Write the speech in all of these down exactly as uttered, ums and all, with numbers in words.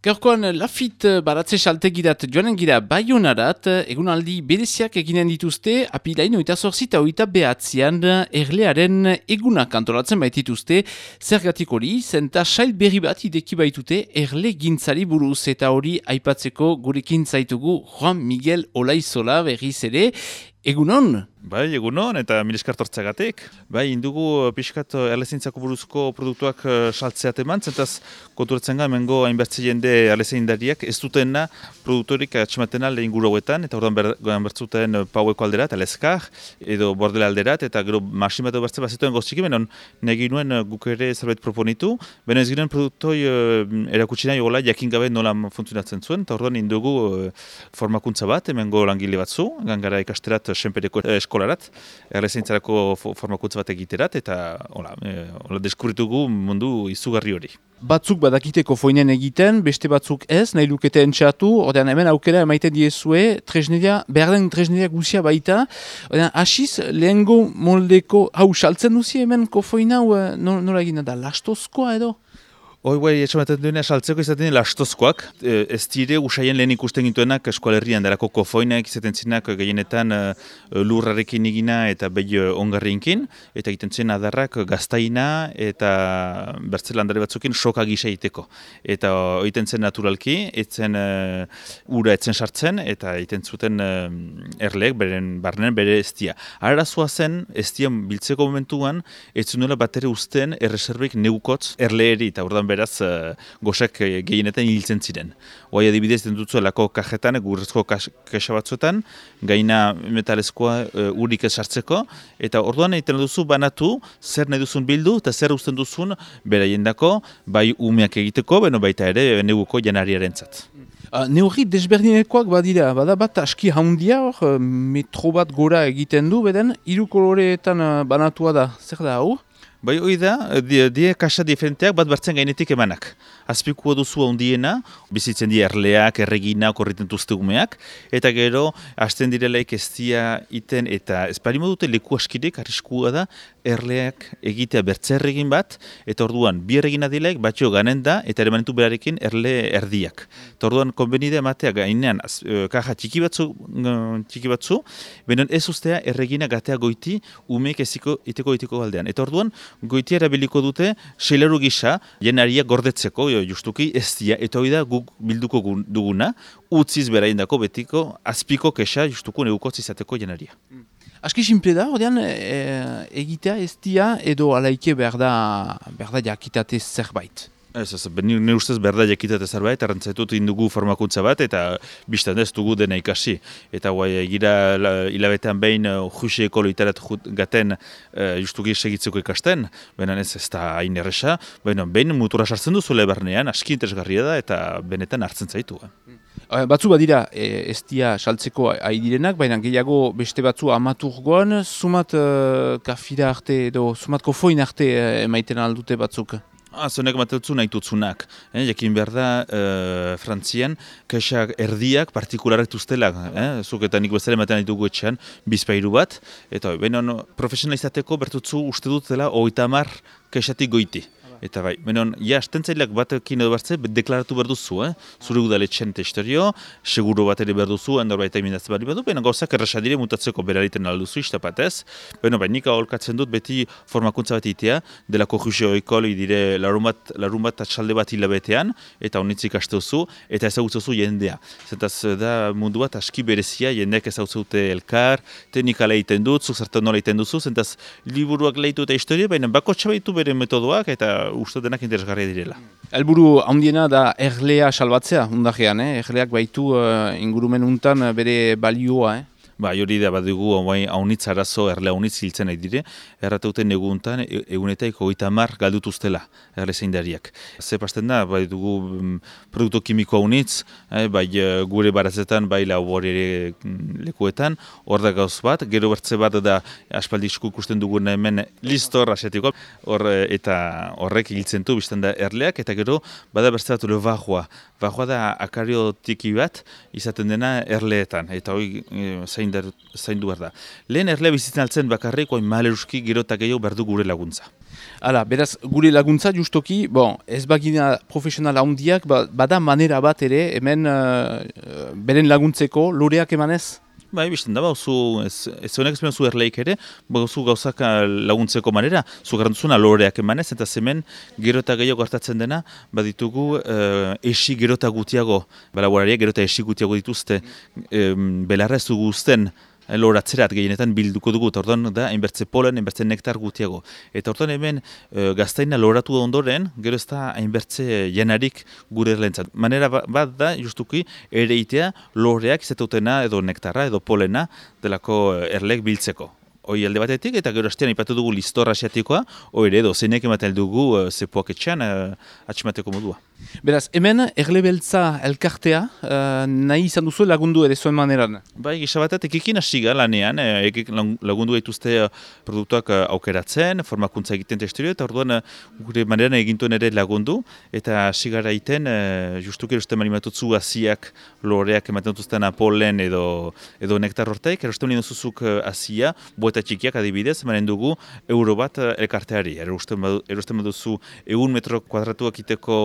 Gaurkoan Lafit baratze saltegirat joanen gira Baionarat, egunaldi bereziak eginen dituzte, apilain oita zorzi eta oita behatzean erlearen egunak antolatzen baitituzte, zergatik hori, zenta sail berri bat ideki baitute erle gintzari buruz, eta hori aipatzeko gurekin zaitugu Juan Miguel Olaizola berriz ere, egunon? Bai, egunon, eta mil esker tortzeagatik. Bai, indugu pixkat erlezaintzako buruzko produktuak saltzeat eman, zentaz konturatzen ga, hemengo hainbertze jende erlezaindariak ez dutena produktorik atxematena lehen guru hauetan, eta orduan ber, bertzuten paueko alderat, alezkar, edo bordela alderat, eta gero masin bat bertze bazituen goztxiki, benon negi nuen guk ere zerbait proponitu, beno ez ginen produktoi erakutsi nahi hola jakin gabe nola funtzionatzen zuen, eta orduan indugu formakuntza bat, hemengo langile batzu, gangara ikasterat senpereko eskolarat, erlezaintzarako formakuntza bat egiterat, eta hola, e, hola deskubritugu mundu izugarri hori. Batzuk badakiteko foinen egiten, beste batzuk ez, nahi lukete entxatu, ordean hemen aukera emaiten diezue, tresneria, behar den tresneria guzia baita, ordean hasiz lehengo moldeko, hau saltzen duzi hemen kofoina, nola egina da, lastozkoa edo? Hoi, bai, etxamaten duena saltzeko izaten lastozkoak. Ez dire usaien lehen ikusten gintuenak eskualerrian darako kofoinak izaten zinak gehienetan lurrarekin egina eta behi ongarrienkin, eta egiten zen adarrak gaztaina eta bertzelandare batzukin soka gisa egiteko. Eta egiten zen naturalki, etzen ura etzen sartzen, eta egiten zuten erleek beren barnen bere estia. Arazoa zen, estian biltzeko momentuan, ez zunuela bat ere usten erreserbek neukotz erleeri, eta ordan beraz uh, gosek gehienetan hiltzen ziren. Oai adibidez den dutzuelako kajetan, gurrezko kaxa batzuetan, gaina metalezkoa uh, urik esartzeko, eta orduan egiten duzu banatu, zer nahi duzun bildu, eta zer usten duzun beraiendako, bai umeak egiteko, beno baita ere neguko janariarentzat. Uh, Neurri desberdinekoak badira, bada bat aski haundia hor, metro bat gora egiten du, beden, hiru koloreetan uh, banatua da, zer da hau? Bai, hoi da, die, die kaxa diferenteak bat bertzen gainetik emanak. Azpikua duzu handiena, bizitzen di erleak, erregina, korriten duzte umeak, eta gero, hasten direlaik ez dia iten, eta ez parimo dute leku askidek, arriskua da, erleak egitea bertze erregin bat, eta orduan, bi erregina dilaik, batxo ganen da, eta ere manetu berarekin erle erdiak. Eta orduan, konbenide ematea gainean, az, kaja txiki batzu, txiki batzu, benen ez ustea erregina gatea goiti, umeek eziko iteko iteko aldean. Eta orduan, goitia erabiliko dute seilaru gisa jenaria gordetzeko, jo, justuki ez dia, eta hori da guk bilduko duguna, utziz beraindako betiko azpiko kexa justuko negukotz izateko jenaria. Aski simple da, ordean e, egitea ez dia edo alaike behar da, behar da jakitate zerbait. Ez, ez, ne ustez berda jakitate zerbait, arrantzaitut indugu formakuntza bat, eta biztan ez dugu dena ikasi. Eta guai, gira hilabetean behin juxe ekolo itarat gaten uh, justuki segitzeko ikasten, benan ez ez da hain erresa, behin mutura sartzen duzu lebernean, aski interesgarria da, eta benetan hartzen zaitu. Eh? Batzu badira e, ez dia saltzeko ari direnak, baina gehiago beste batzu amaturgoan, sumat uh, kafira arte edo sumat kofoin arte uh, emaiten aldute batzuk. Ah, zonek matetzu nahi tutzunak. Eh, jakin behar da, eh, Frantzian, kexak erdiak partikularek tuztelak. Eh? Zuk eta nik bezala ematen nahi dugu etxean, bizpairu bat. Eta benon, profesionalizateko bertutzu uste dut dela hogeita hamar kexatik goiti. Eta bai, benon, ja, astentzaileak batekin edo bertze, deklaratu behar duzu, eh? Zure udaletxen testorio, seguro bat ere behar duzu, endor baita imindatzen bari badu, benon gauzak errasadire mutatzeko berariten alduzu, istapatez. Beno, bai, nik aholkatzen dut beti formakuntza bat itea, delako jusio ekol, idire larun bat, larun bat atxalde bat hilabetean, eta honitzik asteozu, eta ezagutzuzu jendea. Zentaz da mundu bat aski berezia, jendeak ezagutzute elkar, teknikala egiten dut, zuk zertan nola egiten duzu, zentaz liburuak lehitu eta historia, baina bako txabaitu bere metodoak, eta uste denak interesgarria direla. Helburu handiena da erlea salbatzea, undajean, eh? Erleak baitu uh, ingurumen untan bere balioa, eh? Ba, hori da bat dugu, haunitz arazo, erle haunitz hiltzen nahi dire, errateuten neguntan, egunetaik hogeita hamar galdutuztela, erle zeindariak. Ze pasten da, bai dugu um, produktu kimiko haunitz, eh, bai gure baratzetan, bai labor ere lekuetan, hor da gauz bat, gero bertze bat da aspaldizku ikusten dugun hemen listor asiatiko, hor eta horrek hiltzen du, bizten da erleak, eta gero bada bertze bat ule bajoa. Bajoa da akario tiki bat, izaten dena erleetan, eta hori zain zaindu behar da. Lehen erlea bizitzen altzen bakarrik, oin maleruski gero eta gehiago behar du gure laguntza. Hala, beraz, gure laguntza justoki, bon, ez bagina profesional handiak, ba, bada manera bat ere, hemen uh, beren laguntzeko, loreak emanez? Bai, bizten da, bauzu, ez, ez honek ezpen zu erleik ere, bauzu gauzak laguntzeko manera, zu garantuzuna loreak emanez, eta zemen gero eta gehiago hartatzen dena, baditugu uh, esi gero eta gutiago, balaborariak gero eta esi gutiago dituzte, um, belarra ez dugu uzten, loratzerat gehienetan bilduko dugu, eta orduan da, hainbertze polen, hainbertze nektar gutiago. Eta orduan hemen e, gaztaina loratu ondoren, gero ez da hainbertze janarik gure erlentzat. Manera bat da, justuki, ere itea loreak izateutena edo nektarra edo polena delako erlek biltzeko. Hoi alde batetik, eta gero hastean ipatu dugu listor asiatikoa, hoi ere edo zeinek ematen dugu uh, zepoak etxean uh, atximateko modua. Beraz, hemen erlebeltza elkartea uh, nahi izan duzu lagundu ere zuen maneran? Bai, gisa batet, ekikin hasiga lanean, ekik lagundu gaituzte uh, produktuak uh, aukeratzen, formakuntza egiten testurio, eta orduan uh, gure maneran egintuen ere lagundu, eta hasigara iten, uh, justuki erosten manimatutzu aziak loreak ematen dutuzten polen edo, edo nektar hortaik, erosten manimazuzuk uh, azia, boeta txikiak adibidez, emanen dugu euro bat elkarteari. Erosten baduzu egun metro kuadratuak iteko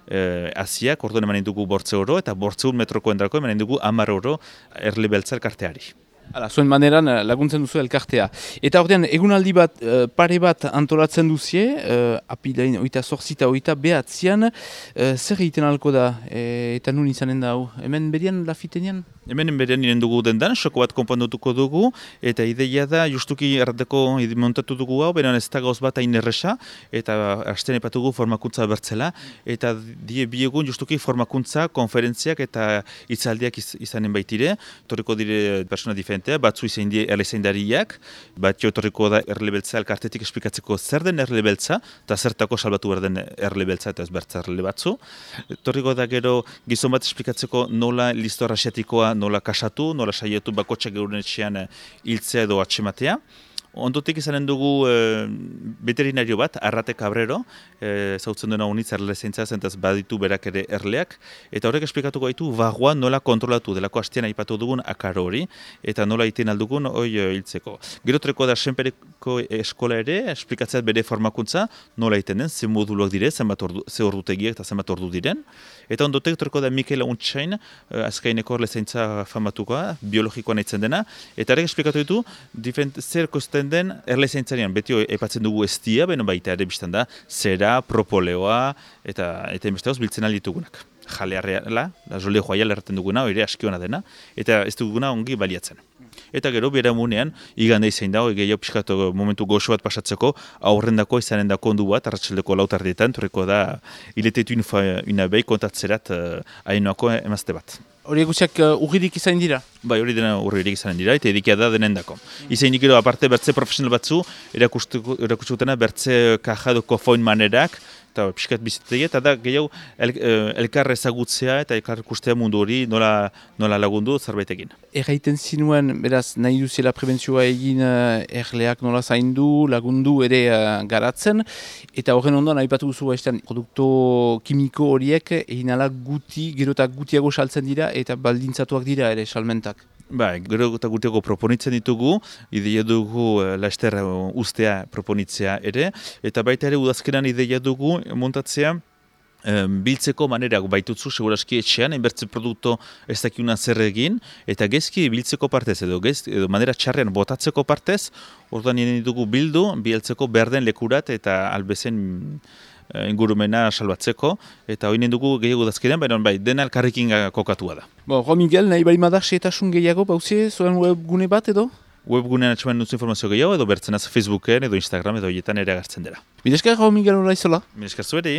eh, aziak, orduan emanen dugu bortze euro, eta bortze un metroko endrako emanen dugu hamar euro erle beltza elkarteari. Hala, zuen maneran laguntzen duzu elkartea. Eta ordean, egunaldi bat, pare bat antolatzen duzie, uh, apilain oita zorzita oita behatzean, uh, zer egiten alko da, e, eta nun izanen da hau? Hemen berian, lafitenean? Hemen berian niren dugu dendan, soko bat konpondutuko dugu, eta ideia da, justuki errateko montatu dugu hau, beran ez da gauz bat hain erresa, eta hasten epatugu formakuntza bertzela, eta die biegun justuki formakuntza, konferentziak eta hitzaldiak iz, izanen baitire, torriko dire persona diferentea, batzu izan die erlezaindariak, bat jotorriko da erlebeltza elkartetik esplikatzeko zer den erlebeltza, eta zertako salbatu behar den erlebeltza eta ez bertza erle batzu. Torriko da gero gizon bat esplikatzeko nola listor asiatikoa nola kasatu, nola saietu bakotxak geuren etxean hiltzea edo atxematea. Ondotik izanen dugu e, veterinario bat, Arrate Cabrero, e, zautzen duena unitz erle zeintza zentaz baditu berak ere erleak, eta horrek esplikatuko gaitu barroa nola kontrolatu, delako hastean aipatu dugun akaro hori, eta nola iten aldugun hoi hiltzeko. Gero treko da senpereko eskola ere, esplikatzeat bere formakuntza, nola iten den, ze moduluak dire, zenbat ordu, ze ordutegiak eta zenbat ordu diren. Eta ondotek treko da Mikel Untxain, azkaineko erle zeintza famatukoa, biologikoa nahitzen dena, eta horrek esplikatu ditu, diferent, zer kosten den erle zeintzarian, beti epatzen dugu estia, beno baita ere biztan da, zera, propoleoa, eta eta enbesteoz biltzen alditugunak. Jalearreala, da jole joaial erraten duguna, ere askiona dena, eta ez duguna ongi baliatzen. Eta gero, bera munean, igande izan dago, gehiago pixkatu momentu goxo bat pasatzeko, aurrendako izanen dako ondu bat, arratsaldeko lautardietan, torreko da, iletetu inabei kontatzerat uh, hainoako emazte bat. Hori eguziak uh, urririk izan dira? Bai, hori dena urririk izan dira, eta edikia da denendako. Izan gero, aparte, bertze profesional batzu, erakustutena bertze kaja edo kofoin manerak, eta pixkat bizitegi, eta da gehiago el, elkar ezagutzea eta elkar ikustea mundu hori nola, nola lagundu zerbait egin. Erraiten zinuen, beraz, nahi duziela prebentzioa egin uh, erleak nola zaindu, lagundu ere uh, garatzen, eta horren ondoan aipatu duzu baiztean produkto kimiko horiek egin ala guti, gero eta gutiago saltzen dira eta baldintzatuak dira ere salmentak. Ba, gero eta gutiago proponitzen ditugu, ideia dugu uh, laster uh, ustea proponitzea ere, eta baita ere udazkenan ideia dugu montatzea um, biltzeko manerak baitutzu, seguraski etxean, enbertze produkto ez dakiuna zer egin, eta gezki biltzeko partez edo, gez, edo manera txarrean botatzeko partez, orduan nien ditugu bildu, bieltzeko berden lekurat eta albezen ingurumena salbatzeko, eta hori dugu gehiago dazkenean, baina bai, dena elkarrekin kokatua da. Bo, Ro Miguel, nahi bari madar setasun gehiago, bauzie, zoen webgune bat edo? Webgunean atxeman dutzu informazio gehiago, edo bertzenaz Facebooken, edo Instagram, edo hietan ere agertzen dira. Mileskar, Ro Miguel, hola izola? Mileskar zueri.